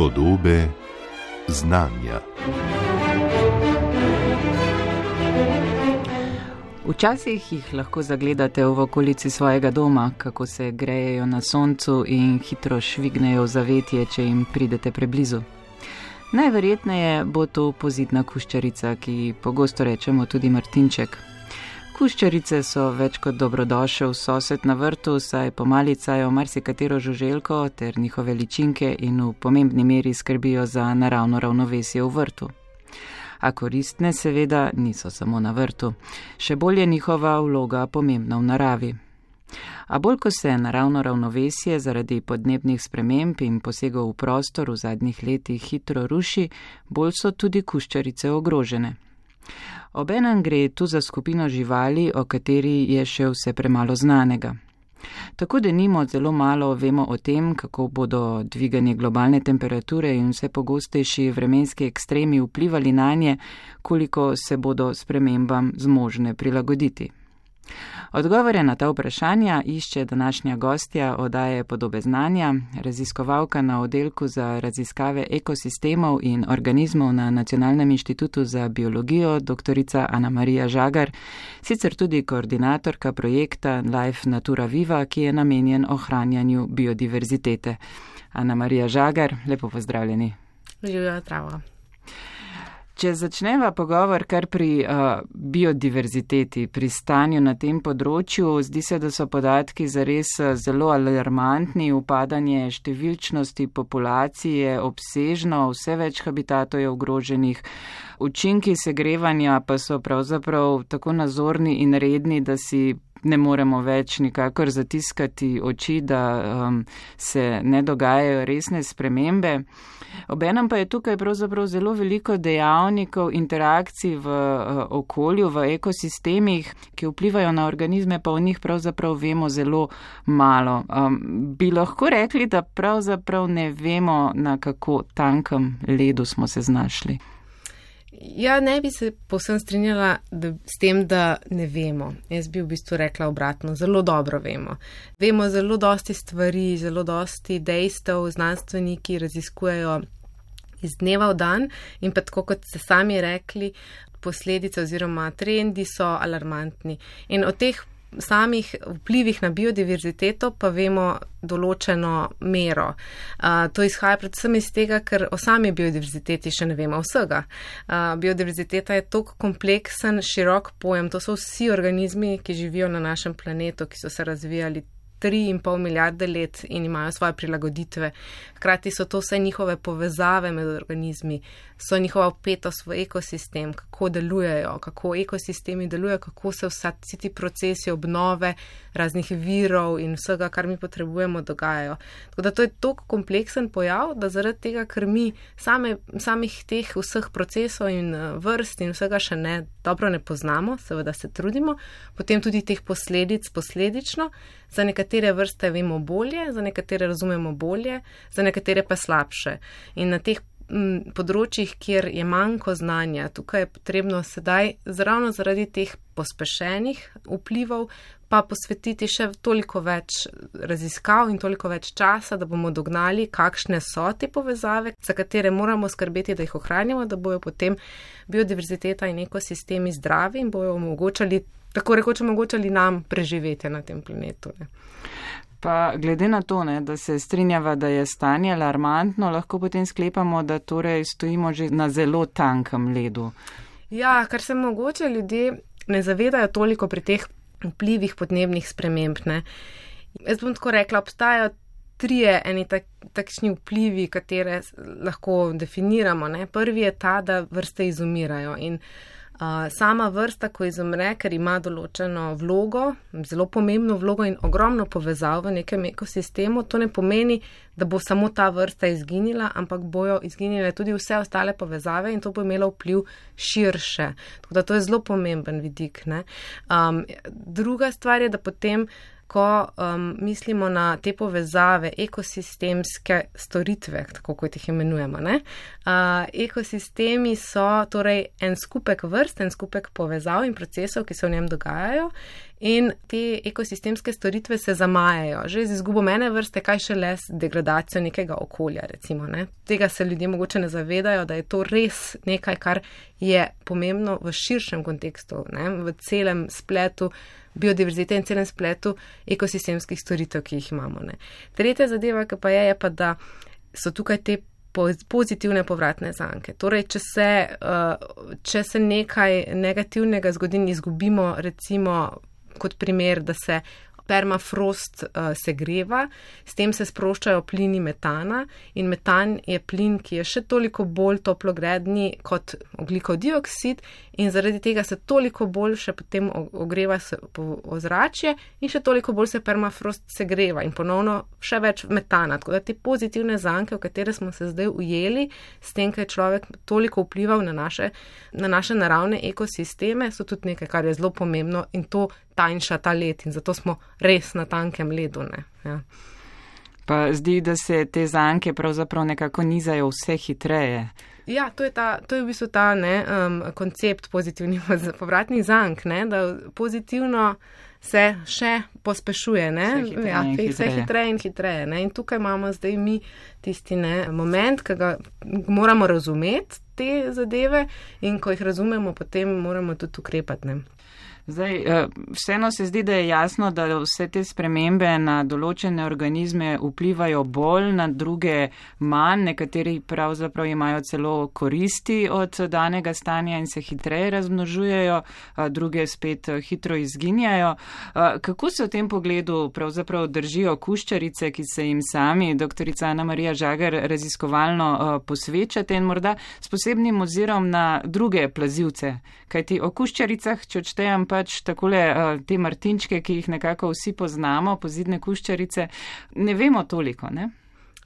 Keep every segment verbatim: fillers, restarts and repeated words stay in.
Podobe znanja. Včasih jih lahko zagledate v okolici svojega doma, kako se grejejo na soncu in hitro švignejo v zavetje, če jim pridete preblizu. Najverjetneje bo to pozidna kuščarica, ki pogosto rečemo tudi martinček. Kuščarice so več kot dobrodošel sosed na vrtu, saj pomalicajo marsikatero žuželko ter njihove ličinke in v pomembni meri skrbijo za naravno ravnovesje v vrtu. A koristne seveda niso samo na vrtu. Še bolj je njihova vloga pomembna v naravi. A bolj ko se naravno ravnovesje zaradi podnebnih sprememb in posegov v prostor v zadnjih letih hitro ruši, bolj so tudi kuščarice ogrožene. Obenem gre tu za skupino živali, o kateri je še vse premalo znanega. Tako denimo zelo malo vemo o tem, kako bodo dviganje globalne temperature in vse pogostejši vremenski ekstremi vplivali nanje, koliko se bodo spremembam zmožne prilagoditi. Odgovore na ta vprašanja išče današnja gostja oddaje Podobe znanja, raziskovalka na oddelku za raziskave ekosistemov in organizmov na Nacionalnem inštitutu za biologijo, doktorica Ana Marija Žagar, sicer tudi koordinatorka projekta Life Natura Viva, ki je namenjen ohranjanju biodiverzitete. Ana Marija Žagar, lepo pozdravljeni. Živijo, zdravo. Če začneva pogovor kar pri uh, biodiverziteti, pri stanju na tem področju, zdi se, da so podatki zares zelo alarmantni, upadanje številčnosti populacije, obsežno, vse več habitatov je ogroženih, učinki segrevanja pa so pravzaprav tako nazorni in redni, da si ne moremo več nikakor zatiskati oči, da um, se ne dogajajo resne spremembe. Obenem pa je tukaj pravzaprav zelo veliko dejavnikov, interakcij v uh, okolju, v ekosistemih, ki vplivajo na organizme, pa o njih pravzaprav vemo zelo malo. Um, bi lahko rekli, da pravzaprav ne vemo, na kako tankem ledu smo se znašli? Ja, ne bi se povsem strinjala da, s tem, da ne vemo. Jaz bi v bistvu rekla obratno, zelo dobro vemo. Vemo zelo dosti stvari, zelo dosti dejstev, znanstveniki raziskujejo iz dneva v dan in pa tako, kot ste sami rekli, posledice oziroma trendi so alarmantni. In o teh samih vplivih na biodiverziteto pa vemo določeno mero. Uh, to izhaja predvsem iz tega, ker o sami biodiverziteti še ne vemo vsega. Uh, biodiverziteta je toliko kompleksen, širok pojem. To so vsi organizmi, ki živijo na našem planetu, ki so se razvijali tri in pol milijarde let in imajo svoje prilagoditve. Hkrati so to vse njihove povezave med organizmi, so njihova vpetost v ekosistem, kako delujejo, kako ekosistemi delujejo, kako se vsa, vsi ti procesi obnove raznih virov in vsega, kar mi potrebujemo, dogajajo. Tako da to je toliko kompleksen pojav, da zaradi tega, ker mi same, samih teh vseh procesov in vrst in vsega še ne dobro ne poznamo, seveda se trudimo, potem tudi teh posledic posledično. Za nekatere vrste vemo bolje, za nekatere razumemo bolje, za nekatere pa slabše. In na teh m, področjih, kjer je manjko znanja, tukaj je potrebno sedaj, ravno zaradi teh pospešenih vplivov, pa posvetiti še toliko več raziskav in toliko več časa, da bomo dognali, kakšne so te povezave, za katere moramo skrbeti, da jih ohranjamo, da bojo potem biodiverziteta in ekosistemi zdravi in bojo omogočali, tako rekoč omogočali nam preživeti na tem planetu. Ne. Pa glede na to, ne, da se strinjava, da je stanje alarmantno, lahko potem sklepamo, da torej stojimo že na zelo tankem ledu. Ja, kar se mogoče ljudje ne zavedajo toliko pri teh vplivih podnebnih sprememb. Ne. Jaz bom tako rekla, obstajajo trije eni tak, takšni vplivi, katere lahko definiramo. Ne. Prvi je ta, da vrste izumirajo in Uh, sama vrsta, ko izumre, ker ima določeno vlogo, zelo pomembno vlogo in ogromno povezav v nekem ekosistemu, to ne pomeni, da bo samo ta vrsta izginila, ampak bojo izginile tudi vse ostale povezave in to bo imelo vpliv širše. Tako da to je zelo pomemben vidik. Ne? Um, druga stvar je, da potem ko um, mislimo na te povezave, ekosistemske storitve, tako kot jih imenujemo. Ne? Uh, ekosistemi so torej en skupek vrst, en skupek povezav in procesov, ki se v njem dogajajo in te ekosistemske storitve se zamajajo. Že z izgubo ene vrste, kaj šele s degradacijo nekega okolja, recimo. Ne? Tega se ljudje mogoče ne zavedajo, da je to res nekaj, kar je pomembno v širšem kontekstu, ne? V celem spletu biodiverzite in celem spletu ekosistemskih storitev, ki jih imamo. Ne? Tretja zadeva, ki pa je, je pa, da so tukaj te pozitivne povratne zanke. Torej, če se, če se nekaj negativnega zgodi in izgubimo, recimo kot primer, da se permafrost uh, segreva, s tem se sproščajo plini metana in metan je plin, ki je še toliko bolj toplogredni kot ogljikov dioksid in zaradi tega se toliko bolj še potem ogreva ozračje in še toliko bolj se permafrost segreva in ponovno še več metana. Tako da te pozitivne zanke, v katere smo se zdaj ujeli, s tem, kaj je človek toliko vplival na naše, na naše naravne ekosisteme, so tudi nekaj, kar je zelo pomembno in to tanjša ta led in zato smo res na tankem ledu. Ne? Ja. Pa zdi, da se te zanke pravzaprav nekako nizajo vse hitreje. Ja, to je, ta, to je v bistvu ta ne, um, koncept pozitivnih povratnih zank, ne, da pozitivno se še pospešuje, ne, vse hitreje, ja, in, vse hitreje. hitreje in hitreje. Ne, in tukaj imamo zdaj mi tisti ne, moment, ki ga moramo razumeti te zadeve in ko jih razumemo, potem moramo tudi ukrepati. Ne. Zdaj, vseeno se zdi, da je jasno, da vse te spremembe na določene organizme vplivajo bolj, na druge manj, nekateri pravzaprav imajo celo koristi od danega stanja in se hitreje razmnožujejo, druge spet hitro izginjajo. Kako se v tem pogledu pravzaprav držijo kuščarice, ki se jim sami, doktorica Ana Marija Žagar, raziskovalno posvečate in morda s posebnim ozirom na druge plazivce? Kajti o kuščaricah, če odštejem pač takole te martinčke, ki jih nekako vsi poznamo, pozidne kuščarice, ne vemo toliko, ne?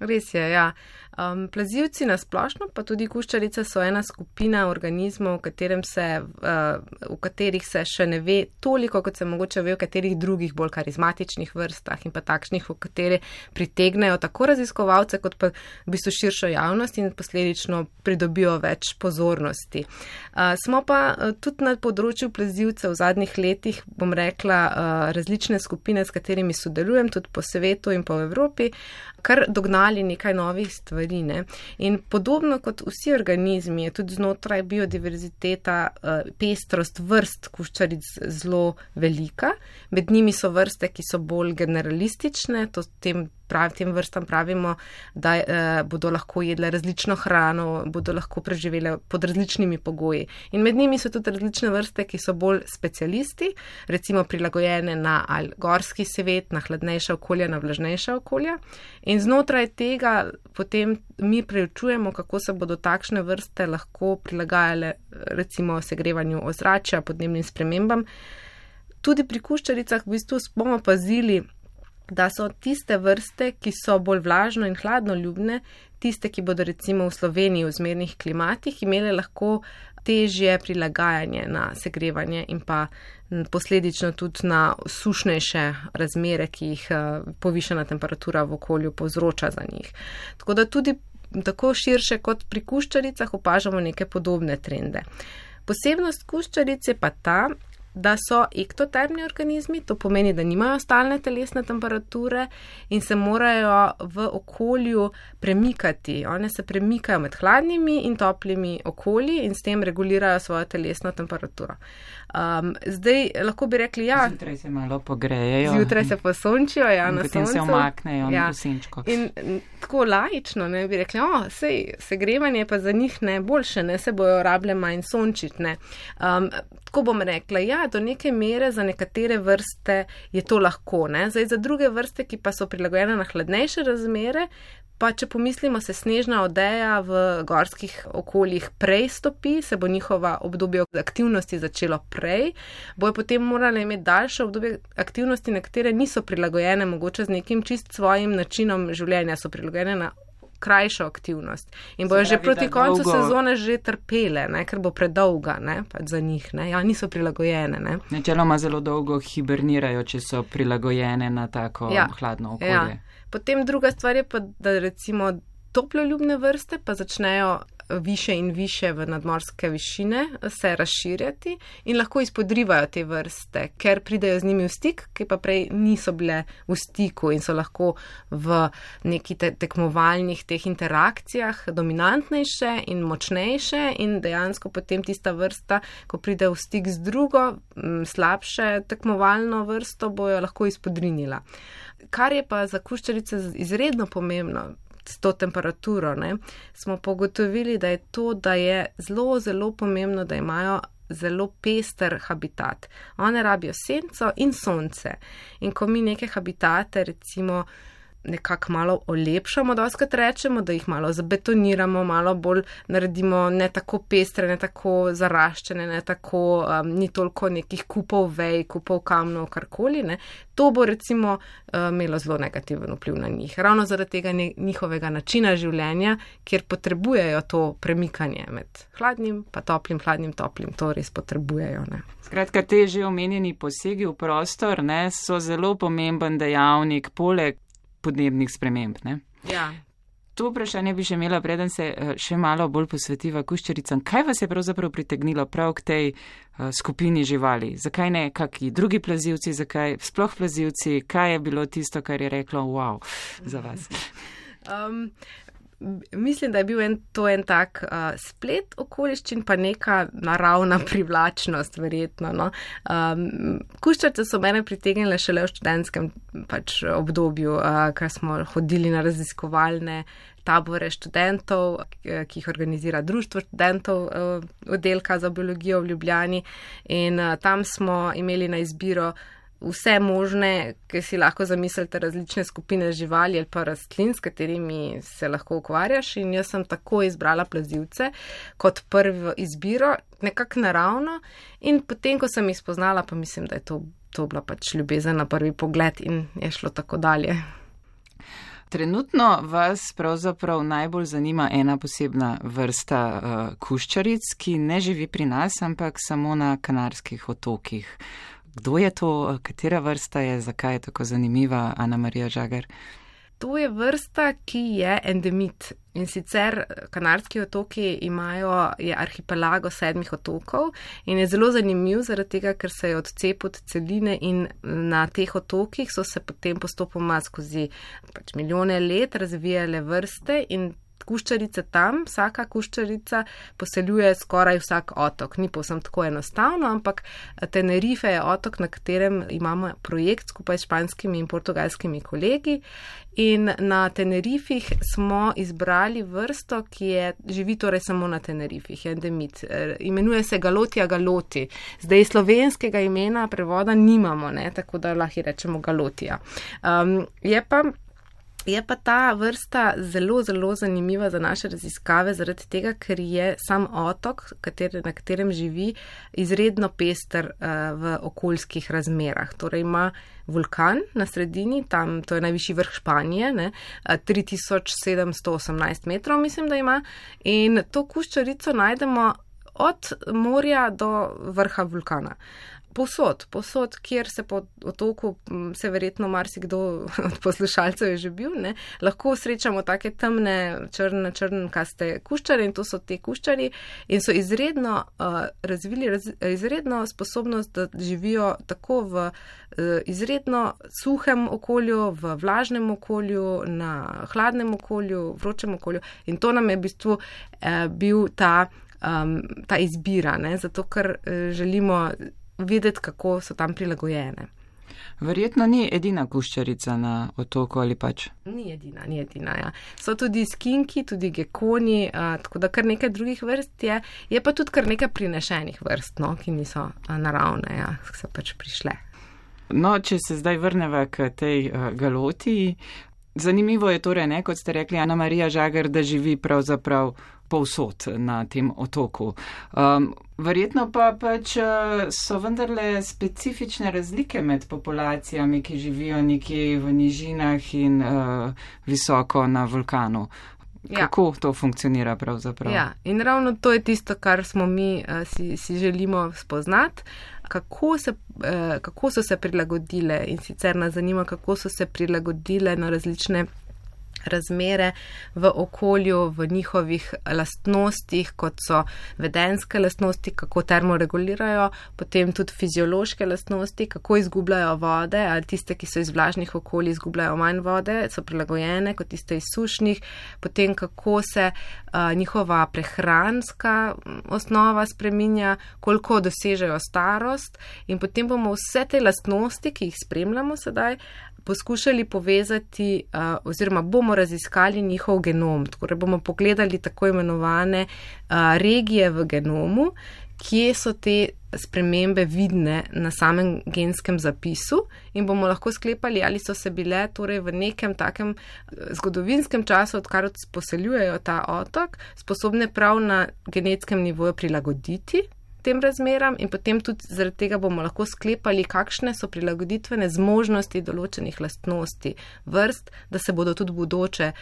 Res je, ja. Um, plazivci na splošno, pa tudi kuščarice so ena skupina organizmov, v, katerem se, uh, v katerih se še ne ve toliko, kot se mogoče ve v katerih drugih bolj karizmatičnih vrstah in pa takšnih, v katere pritegnejo tako raziskovalce, kot pa v bistvu širšo javnost in posledično pridobijo več pozornosti. Uh, smo pa uh, tudi na področju plazivcev v zadnjih letih, bom rekla, uh, različne skupine, s katerimi sodelujem, tudi po svetu in po Evropi, kar dognali nekaj novih stvari. Ne? In podobno kot vsi organizmi, je tudi znotraj biodiverziteta pestrost vrst kuščaric zelo velika. Med njimi so vrste, ki so bolj generalistične, to tem, prav, tem vrstam pravimo, da eh, bodo lahko jedle različno hrano, bodo lahko preživele pod različnimi pogoji. In med njimi so tudi različne vrste, ki so bolj specialisti, recimo prilagojene na gorski svet, na hladnejša okolja, na vlažnejša okolja. In znotraj tega potem mi preučujemo, kako se bodo takšne vrste lahko prilagajale recimo segrevanju ozračja, podnebnim spremembam. Tudi pri kuščaricah v bistvu bomo pazili, da so tiste vrste, ki so bolj vlažno in hladno ljubne, tiste, ki bodo recimo v Sloveniji v zmernih klimatih imele lahko težje prilagajanje na segrevanje in pa posledično tudi na sušnejše razmere, ki jih povišana temperatura v okolju povzroča za njih. Tako da tudi tako širše kot pri kuščaricah opažamo neke podobne trende. Posebnost kuščaric je pa ta, da so ektotermni organizmi, to pomeni, da nimajo stalne telesne temperature in se morajo v okolju premikati. One se premikajo med hladnimi in toplimi okolji in s tem regulirajo svojo telesno temperaturo. Um, zdaj lahko bi rekli, ja. Zjutraj se malo pogrejejo. Zjutraj se posončijo, ja, na soncu. Potem se omaknejo ja. na senčko. In tako laično, ne, bi rekli, o, sej, segrevanje pa za njih ne boljše, ne, se bojo rable manj sončiti, ne. Um, tako bom rekla, ja, do neke mere za nekatere vrste je to lahko, ne. Zdaj za druge vrste, ki pa so prilagojene na hladnejše razmere, pa če pomislimo, se snežna odeja v gorskih okoljih prej stopi, se bo njihova obdobje aktivnosti začelo prej, bojo potem morali imeti daljše obdobje aktivnosti, na katere niso prilagojene, mogoče z nekim čist svojim načinom življenja, so prilagojene na krajšo aktivnost. In bojo že proti koncu dolgo sezone že trpele, ne, ker bo predolga, ne, pač za njih, ne, ja, niso prilagojene, ne. Načeloma zelo dolgo hibernirajo, če so prilagojene na tako ja. hladno okolje. Ja. Potem druga stvar je pa, da recimo toploljubne vrste pa začnejo više in više v nadmorske višine se razširjati in lahko izpodrivajo te vrste, ker pridejo z njimi v stik, ki pa prej niso bile v stiku in so lahko v neki te tekmovalnih teh interakcijah dominantnejše in močnejše in dejansko potem tista vrsta, ko pride v stik z drugo, slabše tekmovalno vrsto, bojo lahko izpodrinila. Kar je pa za kuščarice izredno pomembno s to temperaturo, ne, smo pogotovili, da je to, da je zelo, zelo pomembno, da imajo zelo pester habitat. One rabijo senco in sonce. In ko mi neke habitate, recimo, nekako malo olepšamo, doskrat rečemo, da jih malo zabetoniramo, malo bolj naredimo ne tako pestre, ne tako zaraščene, ne tako, um, ni toliko nekih kupov vej, kupov kamnov, karkoli, ne. To bo recimo uh, imelo zelo negativen vpliv na njih. Ravno zaradi tega njihovega načina življenja, kjer potrebujejo to premikanje med hladnim pa toplim, hladnim, toplim, to res potrebujejo, ne. Skratka, te že omenjeni posegi v prostor, ne, so zelo pomemben dejavnik poleg podnebnih sprememb, ne? Ja. To vprašanje bi še imela, preden se še malo bolj posvetiva kuščaricam. Kaj vas je pravzaprav pritegnilo prav k tej uh, skupini živali? Zakaj ne kaki drugi plazivci, zakaj sploh plazivci? Kaj je bilo tisto, kar je reklo wow za vas? Um, Mislim, da je bil en, to en tak uh, splet okoliščin, pa neka naravna privlačnost, verjetno. No? Um, kuščarice so mene pritegnile šele v študentskem pač, obdobju, uh, ker smo hodili na raziskovalne tabore študentov, ki jih organizira Društvo študentov uh, oddelka za biologijo v Ljubljani. In uh, tam smo imeli na izbiro vse možne, ki si lahko zamislite, različne skupine živali ali pa rastlin, s katerimi se lahko ukvarjaš, in jaz sem tako izbrala plazivce kot prvo izbiro, nekako naravno, in potem, ko sem jih spoznala, pa mislim, da je to, to bila pač ljubezen na prvi pogled in je šlo tako dalje. Trenutno vas pravzaprav najbolj zanima ena posebna vrsta uh, kuščaric, ki ne živi pri nas, ampak samo na Kanarskih otokih. Kdo je to, katera vrsta je, zakaj je tako zanimiva, Ana Marija Žagar? To je vrsta, ki je endemit. In sicer Kanarski otoki imajo, je arhipelago sedmih otokov in je zelo zanimiv zaradi tega, ker se je odcepil od celine in na teh otokih so se potem postopoma skozi pač milijone let razvijale vrste in kuščarice tam, vsaka kuščarica poseljuje skoraj vsak otok. Ni povsem tako enostavno, ampak Tenerife je otok, na katerem imamo projekt skupaj s španskimi in portugalskimi kolegi. In na Tenerifih smo izbrali vrsto, ki je, živi torej samo na Tenerifih, je endemit. Imenuje se Galotija galoti. Zdaj slovenskega imena prevoda nimamo, ne, tako da lahko rečemo Galotija. Um, je pa Je pa ta vrsta zelo, zelo zanimiva za naše raziskave zaradi tega, ker je sam otok, kater, na katerem živi, izredno pester uh, v okoljskih razmerah. Torej ima vulkan na sredini, tam to je najvišji vrh Španije, ne, tri tisoč sedemsto osemnajst metrov mislim, da ima, in to kuščarico najdemo od morja do vrha vulkana. Posod, posod, kjer se po otoku, se verjetno marsikdo od poslušalcev je že bil, ne, lahko srečamo take temne, črne, črnkaste kuščare in to so te kuščari in so izredno uh, razvili raz, izredno sposobnost, da živijo tako v uh, izredno suhem okolju, v vlažnem okolju, na hladnem okolju, vročem okolju in to nam je v bistvu uh, bil ta, um, ta izbira, ne, zato ker uh, želimo videti, kako so tam prilagojene. Verjetno ni edina kuščarica na otoku ali pač? Ni edina, ni edina, ja. So tudi skinki, tudi gekoni, uh, tako da kar nekaj drugih vrst je, je pa tudi kar nekaj prinešenih vrst, no, ki niso uh, naravne, ja, so pač prišle. No, če se zdaj vrneva k tej uh, galotiji, zanimivo je torej, ne, kot ste rekli, Ana Marija Žagar, da živi pravzaprav povsod na tem otoku. Um, verjetno pa pač so vendarle specifične razlike med populacijami, ki živijo nekje v nižinah in uh, visoko na vulkanu. Kako ja. To funkcionira pravzaprav? Ja, in ravno to je tisto, kar smo mi uh, si, si želimo spoznati. Kako, se, uh, kako so se prilagodile in sicer nas zanima, kako so se prilagodile na različne razmere v okolju, v njihovih lastnostih, kot so vedenske lastnosti, kako termoregulirajo, potem tudi fiziološke lastnosti, kako izgubljajo vode, ali tiste, ki so iz vlažnih okolij, izgubljajo manj vode, so prilagojene kot tiste iz sušnih, potem kako se uh, njihova prehranska osnova spreminja, koliko dosežejo starost in potem bomo vse te lastnosti, ki jih spremljamo sedaj, poskušali povezati uh, oziroma bomo raziskali njihov genom. Torej bomo pogledali tako imenovane uh, regije v genomu, kje so te spremembe vidne na samem genskem zapisu in bomo lahko sklepali, ali so se bile torej v nekem takem zgodovinskem času, odkar poseljujejo ta otok, sposobne prav na genetskem nivoju prilagoditi tem razmeram in potem tudi zaradi tega bomo lahko sklepali, kakšne so prilagoditvene zmožnosti določenih lastnosti vrst, da se bodo tudi bodoče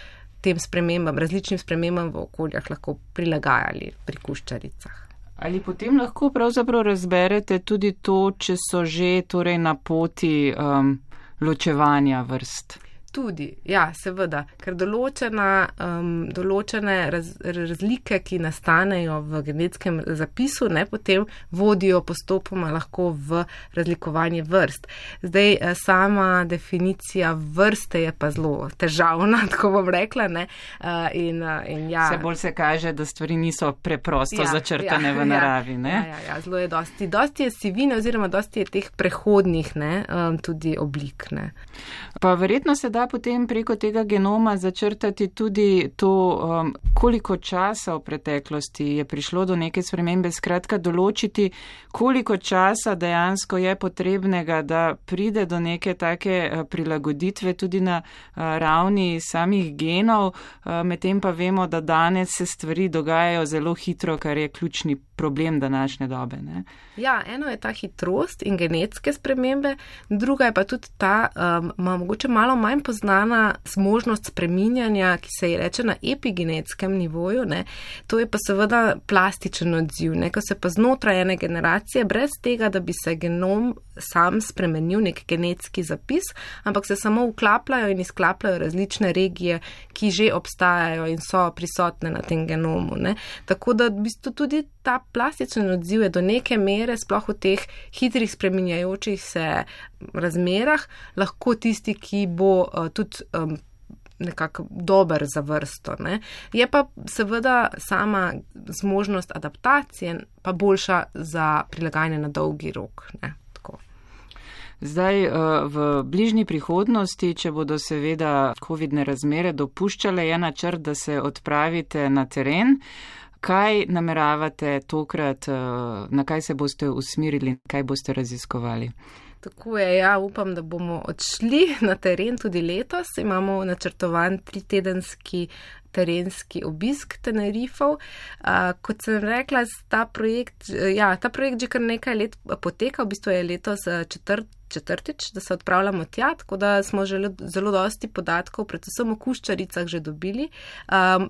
tem spremembam, različnim spremembam v okoljah lahko prilagajali pri kuščaricah. Ali potem lahko pravzaprav razberete tudi to, če so že torej na poti um, ločevanja vrst? Tudi, ja, seveda, ker določena, um, določene raz, razlike, ki nastanejo v genetskem zapisu, ne, potem vodijo postopoma lahko v razlikovanje vrst. Zdaj, sama definicija vrste je pa zelo težavna, tako bom rekla, ne, uh, in, in ja. Vse bolj se kaže, da stvari niso preprosto ja, začrtane ja, v naravi, ne? Ja, ja, ja, zelo je dosti. Dosti je sivine oziroma dosti je teh prehodnih, ne, um, tudi oblik, ne. Pa verjetno se da potem preko tega genoma začrtati tudi to, um, koliko časa v preteklosti je prišlo do neke spremembe, skratka določiti, koliko časa dejansko je potrebnega, da pride do neke take uh, prilagoditve tudi na uh, ravni samih genov, uh, medtem pa vemo, da danes se stvari dogajajo zelo hitro, kar je ključni problem današnje dobe, ne? Ja, eno je ta hitrost in genetske spremembe, druga je pa tudi ta, um, mogoče malo manj poznana zmožnost spreminjanja, ki se je reče na epigenetskem nivoju, ne? To je pa seveda plastičen odziv, ne? Ko se pa znotraj ene generacije, brez tega, da bi se genom sam spremenil, nek genetski zapis, ampak se samo vklapljajo in izklapljajo različne regije, ki že obstajajo in so prisotne na tem genomu, ne? Tako da v bistvu tudi ta plastičen odziv je do neke mere, sploh v teh hitrih spreminjajočih se razmerah, lahko tisti, ki bo uh, tudi um, nekako dober za vrsto, ne. Je pa seveda sama zmožnost adaptacije pa boljša za prilagajanje na dolgi rok, ne. Zdaj v bližnji prihodnosti, če bodo seveda covidne razmere dopuščale, je načrt, da se odpravite na teren. Kaj nameravate tokrat, na kaj se boste usmerili, kaj boste raziskovali? Tako je, ja, upam, da bomo odšli na teren tudi letos. Imamo načrtovan tritedenski terenski obisk Tenerifov. Uh, kot sem rekla, ta projekt, ja, ta projekt že kar nekaj let poteka, v bistvu je letos četrt, četrtič, da se odpravljamo tja, tako da smo že zelo dosti podatkov, predvsem o kuščaricah že dobili. Um,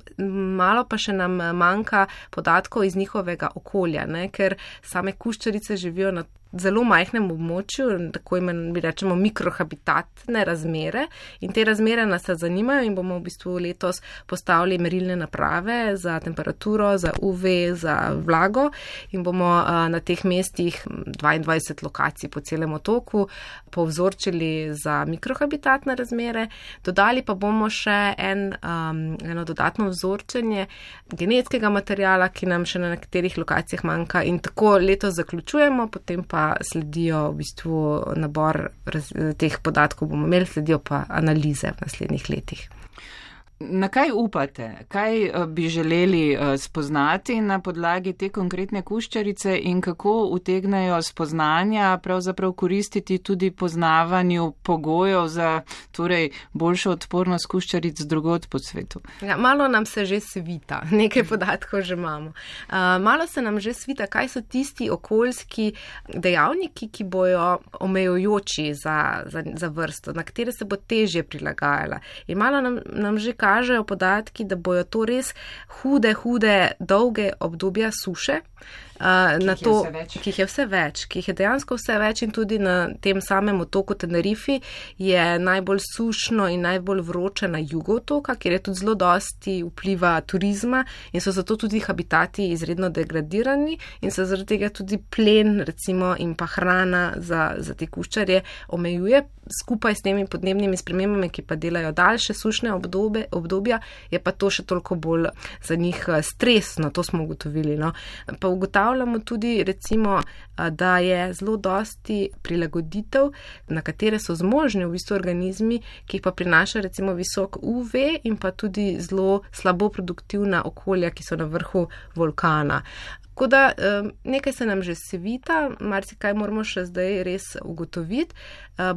malo pa še nam manjka podatkov iz njihovega okolja, ne, ker same kuščarice živijo na zelo majhnem območju, tako imen, bi rečemo, mikrohabitatne razmere in te razmere nas zanimajo in bomo v bistvu letos postavili merilne naprave za temperaturo, za U V, za vlago in bomo uh, na teh mestih dvaindvajset lokacij po celem otoku povzorčili za mikrohabitatne razmere. Dodali pa bomo še en, um, eno dodatno vzorčenje genetskega materijala, ki nam še na nekaterih lokacijah manjka in tako letos zaključujemo, potem pa sledijo v bistvu nabor raz, teh podatkov bomo imeli, sledijo pa analize v naslednjih letih. Na kaj upate? Kaj bi želeli spoznati na podlagi te konkretne kuščarice in kako utegnejo spoznanja pravzaprav koristiti tudi poznavanju pogojev za torej boljšo odpornost kuščaric drugod po svetu? Ja, malo nam se že svita, nekaj podatkov že imamo. Uh, malo se nam že svita, kaj so tisti okoljski dejavniki, ki bojo omejujoči za, za, za vrsto, na katere se bo težje prilagajala. In malo nam, nam že kaže, kažejo podatki, da bojo to res hude, hude, dolge obdobja suše, Uh, na to, ki jih je vse več, ki jih je dejansko vse več in tudi na tem samem otoku Tenerifi je najbolj sušno in najbolj vroče na jugu otoka, kjer je tudi zelo dosti vpliva turizma in so zato tudi habitati izredno degradirani in se zaradi tega tudi plen recimo in pa hrana za, za te kuščarje omejuje. Skupaj s temi podnebnimi spremembami, ki pa delajo daljše sušne obdobje, obdobja, je pa to še toliko bolj za njih stresno, to smo ugotovili. No. Pa ugotavljamo tudi recimo, da je zelo dosti prilagoditev, na katere so zmožni v bistvu organizmi, ki jih pa prinaša recimo visok U V in pa tudi zelo slabo produktivna okolja, ki so na vrhu vulkana. Tako da nekaj se nam že svita, marsikaj moramo še zdaj res ugotoviti,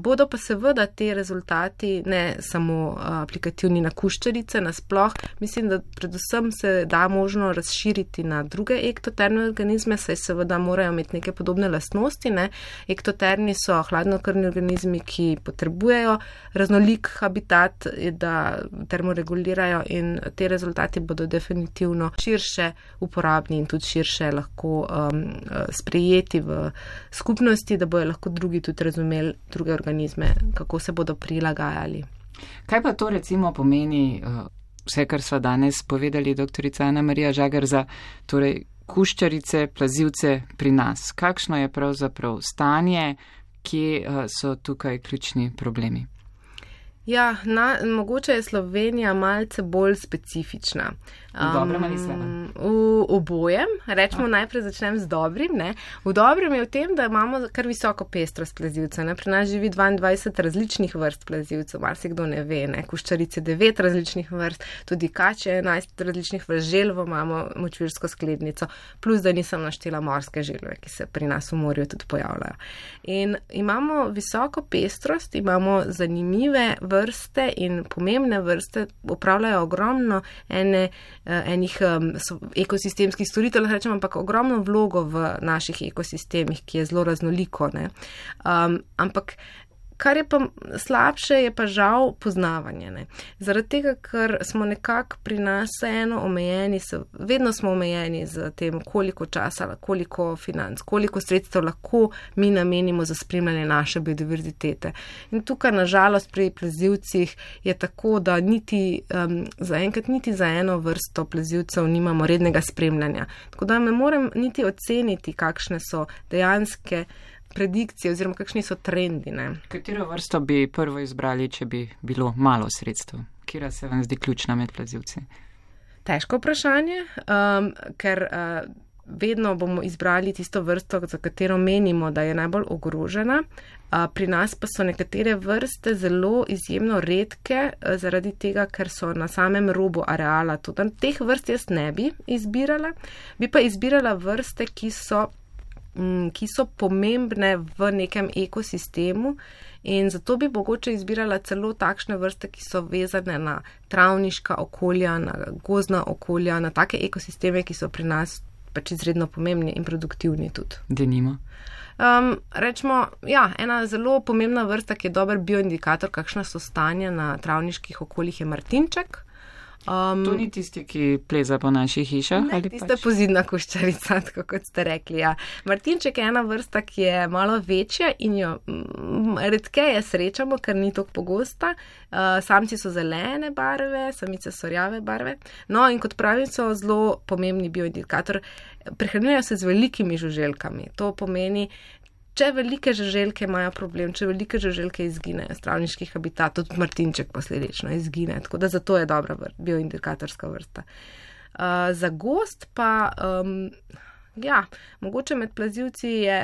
bodo pa seveda te rezultati ne samo aplikativni na kuščarice, nasploh, mislim, da predvsem se da možno razširiti na druge ektotermne organizme, saj seveda morajo imeti neke podobne lastnosti, ne. Ektotermni so hladnokrvni organizmi, ki potrebujejo raznolik habitat, da termoregulirajo in te rezultati bodo definitivno širše uporabni in tudi širše lahko um, sprejeti v skupnosti, da bojo lahko drugi tudi razumeli druge organizme, kako se bodo prilagajali. Kaj pa to recimo pomeni, uh, vse, kar sva danes povedali, doktorica Ana Marija Žagar, za torej kuščarice, plazivce pri nas? Kakšno je pravzaprav stanje, kje uh, so tukaj ključni problemi? Ja, na, mogoče je Slovenija malce bolj specifična. V dobrem ali slabem? V obojem. Rečemo, najprej začnem z dobrim. Ne? V dobrem je v tem, da imamo kar visoko pestrost plazivcev. Ne? Pri nas živi dvaindvajset različnih vrst plazivcev, marsikdo ne ve. Ne? Kuščarice devet različnih vrst, tudi kače enajst različnih vrst, želvo imamo močvirsko sklednico, plus da nisem naštela morske želve, ki se pri nas v morju tudi pojavljajo. In imamo visoko pestrost, imamo zanimive vrste in pomembne vrste, upravljajo ogromno ene enih um, ekosistemskih storitev, rečem, ampak ogromno vlogo v naših ekosistemih, ki je zelo raznoliko. Ne? Um, ampak kar je pa slabše, je pa žal poznavanje. Ne? Zaradi tega, ker smo nekako pri nas eno omejeni, vedno smo omejeni z tem, koliko časa, koliko financ, koliko sredstev lahko mi namenimo za spremljanje naše biodiverzitete. In tukaj, nažalost, pri plazivcih je tako, da niti um, zaenkrat niti za eno vrsto plazivcev nimamo rednega spremljanja. Tako da ne morem niti oceniti, kakšne so dejanske predikcije oziroma kakšni so trendi. Ne? Katero vrsto bi prvo izbrali, če bi bilo malo sredstev? Kira se vam zdi ključna med plazivci? Težko vprašanje, um, ker uh, vedno bomo izbrali tisto vrsto, za katero menimo, da je najbolj ogrožena. Uh, pri nas pa so nekatere vrste zelo izjemno redke, uh, zaradi tega, ker so na samem robu areala. Tudi teh vrst jaz ne bi izbirala, bi pa izbirala vrste, ki so ki so pomembne v nekem ekosistemu in zato bi mogoče izbirala celo takšne vrste, ki so vezane na travniška okolja, na gozdna okolja, na take ekosisteme, ki so pri nas pač izredno pomembni in produktivni tudi. Denimo? Um, rečemo, ja, ena zelo pomembna vrsta, ki je dober bioindikator, kakšna so stanja na travniških okoljih, je martinček. Um, to ni tisti, ki pleza po naših hišah? Ne, tista pač pozidna kuščarica, tako kot ste rekli. Ja. Martinček je ena vrsta, ki je malo večja in jo m, redkeje srečamo, ker ni tako pogosta. Uh, samci so zelene barve, samice so rjave barve. No in kot pravim, so zelo pomembni bioindikator. Prehranjujejo se z velikimi žuželkami. To pomeni, če velike žuželke imajo problem, če velike žuželke izginejo z travniških habitatov, tudi martinček posledično izgine, tako da zato je dobra vr- bioindikatorska vrsta. Uh, za gost pa, um, ja, mogoče med plazivci je,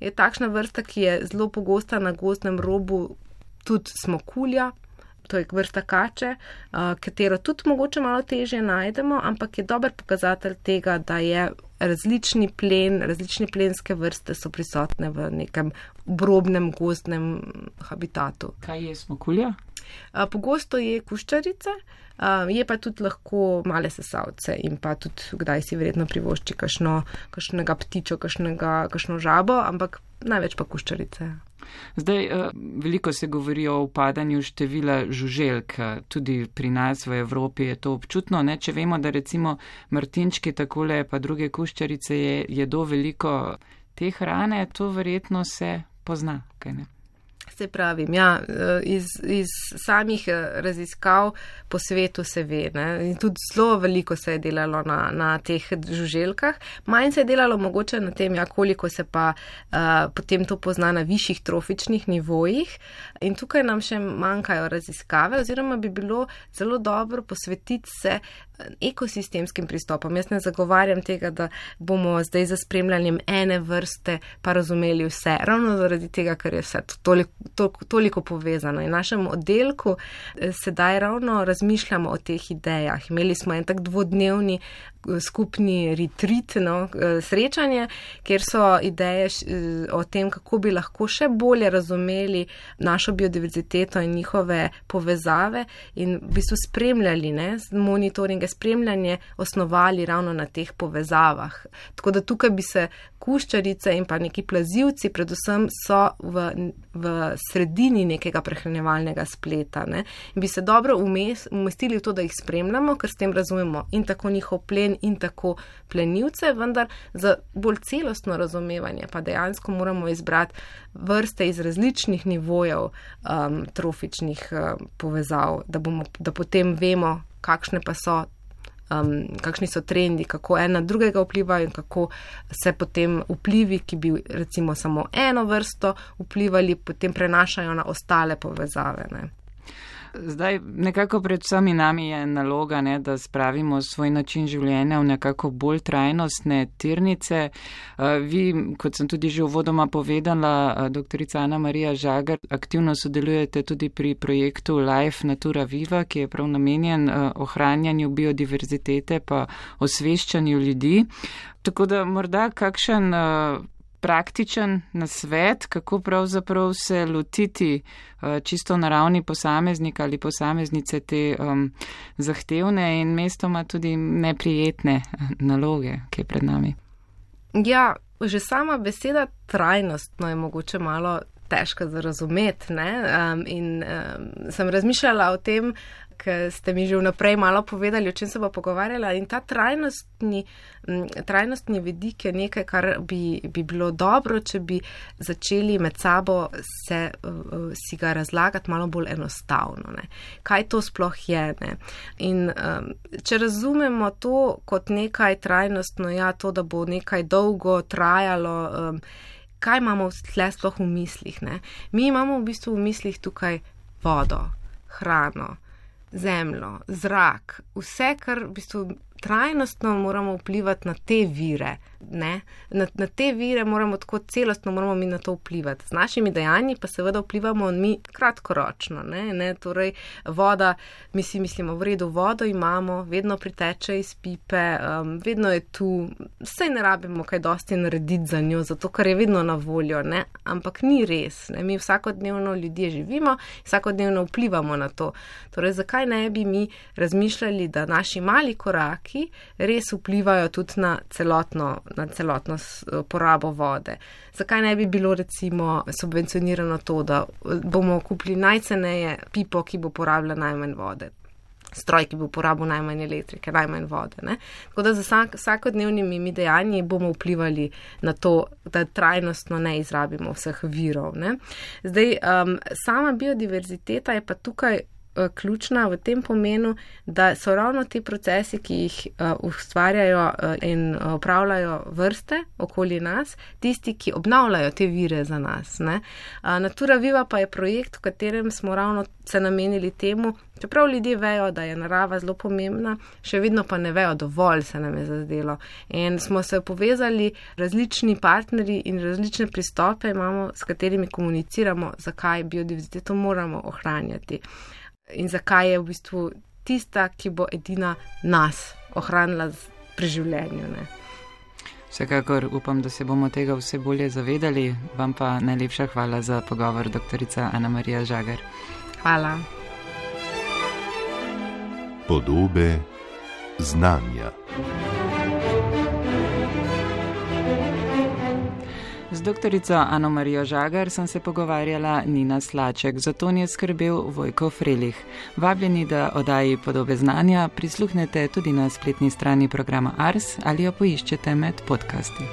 je takšna vrsta, ki je zelo pogosta na gozdnem robu, tudi smokulja, to je vrsta kače, uh, katero tudi mogoče malo težje najdemo, ampak je dober pokazatelj tega, da je različni plen, različne plenske vrste so prisotne v nekem obrobnem gozdnem habitatu. Kaj je smokulja? Uh, pogosto je kuščarice, uh, je pa tudi lahko male sesavce in pa tudi kdaj si verjetno privošči kakšno, kakšnega ptičo, kakšnega, kakšno žabo, ampak največ pa kuščarice. Zdaj, veliko se govori o upadanju števila žuželk, tudi pri nas v Evropi je to občutno, ne? Če vemo, da recimo martinčki takole pa druge kuščarice je, jedo veliko te hrane, to verjetno se pozna, kaj ne? Se pravim, ja, iz, iz samih raziskav po svetu se ve, ne, in tudi zelo veliko se je delalo na, na teh žuželkah, manj se je delalo mogoče na tem, ja, koliko se pa uh, potem to pozna na višjih trofičnih nivojih in tukaj nam še manjkajo raziskave oziroma bi bilo zelo dobro posvetiti se ekosistemskim pristopom. Jaz ne zagovarjam tega, da bomo zdaj za spremljanjem ene vrste pa razumeli vse, ravno zaradi tega, ker je vse toliko, toliko, toliko povezano. In v našem oddelku sedaj ravno razmišljamo o teh idejah. Imeli smo en tak dvodnevni skupni retreat, no, srečanje, kjer so ideje o tem, kako bi lahko še bolje razumeli našo biodiverziteto in njihove povezave in v bistvu spremljali, ne, monitoringe, spremljanje osnovali ravno na teh povezavah. Tako da tukaj bi se kuščarice in pa neki plazivci predvsem so v, v sredini nekega prehranjevalnega spleta, ne, in bi se dobro umes, umestili v to, da jih spremljamo, ker s tem razumemo in tako njihov plen in tako plenilce, vendar za bolj celostno razumevanje pa dejansko moramo izbrati vrste iz različnih nivojev um, trofičnih um, povezav, da, bomo, da potem vemo, kakšne pa so, um, kakšni so trendi, kako en na drugega vplivajo in kako se potem vplivi, ki bi recimo samo eno vrsto vplivali, potem prenašajo na ostale povezave, ne. Zdaj, nekako pred vsemi nami je naloga, ne, da spravimo svoj način življenja v nekako bolj trajnostne tirnice. Vi, kot sem tudi že uvodoma povedala, doktorica Ana Marija Žagar, aktivno sodelujete tudi pri projektu Life Natura Viva, ki je prav namenjen ohranjanju biodiverzitete pa osveščanju ljudi. Tako da morda kakšen praktičen nasvet, kako pravzaprav se lotiti uh, čisto na ravni posameznika ali posameznice te um, zahtevne in mestoma tudi neprijetne naloge, ki je pred nami. Ja, že sama beseda trajnostno je mogoče malo težka za razumeti, ne? Um, in um, sem razmišljala o tem, ker ste mi že vnaprej malo povedali, o čem se bo pogovarjala, in ta trajnostni, trajnostni vidik je nekaj, kar bi, bi bilo dobro, če bi začeli med sabo se, si ga razlagati malo bolj enostavno, ne. Kaj to sploh je, ne. In um, če razumemo to kot nekaj trajnostno, ja, to, da bo nekaj dolgo trajalo, um, kaj imamo tle sploh v mislih, ne. Mi imamo v bistvu v mislih tukaj vodo, hrano, zemljo, zrak, vse, kar v bistvu trajnostno moramo vplivati na te vire, ne? Na, na te vire moramo tako celostno, moramo mi na to vplivati. Z našimi dejanji pa seveda vplivamo mi kratkoročno, ne? Ne? Torej, voda, mi si mislimo, v redu, vodo imamo, vedno priteče iz pipe, um, vedno je tu, vse ne rabimo kaj dosti narediti za njo, zato ker je vedno na voljo, ne? Ampak ni res, ne? Mi vsakodnevno ljudje živimo, vsakodnevno vplivamo na to. Torej, zakaj ne bi mi razmišljali, da naši mali koraki res vplivajo tudi na celotno, na celotno porabo vode. Zakaj ne bi bilo recimo subvencionirano to, da bomo kupili najceneje pipo, ki bo porabila najmanj vode, stroj, ki bo porabil najmanj elektrike, najmanj vode, ne? Tako da za vsak, vsakodnevnimi dejanji bomo vplivali na to, da trajnostno ne izrabimo vseh virov, ne? Zdaj, um, sama biodiverziteta je pa tukaj ključna v tem pomenu, da so ravno ti procesi, ki jih uh, ustvarjajo uh, in upravljajo vrste okoli nas, tisti, ki obnavljajo te vire za nas, ne. Uh, Natura Viva pa je projekt, v katerem smo ravno se namenili temu, čeprav ljudje vejo, da je narava zelo pomembna, še vedno pa ne vejo dovolj, se nam je zazdelo. In smo se povezali različni partnerji in različne pristope imamo, s katerimi komuniciramo, zakaj biodiverziteto moramo ohranjati. In zakaj je v bistvu tista, ki bo edina nas ohranila pri življenju, ne. Vsekakor upam, da se bomo tega vse bolje zavedali. Vam pa najlepša hvala za pogovor, doktorica Ana Marija Žagar. Hvala. Podobe znanja. doktorico Ano Marijo Žagar sem se pogovarjala Nina Slaček, za to je skrbel Vojko Frelih. Vabljeni, da oddaji Podobe znanja prisluhnete tudi na spletni strani programa Ars ali jo poiščete med podcasti.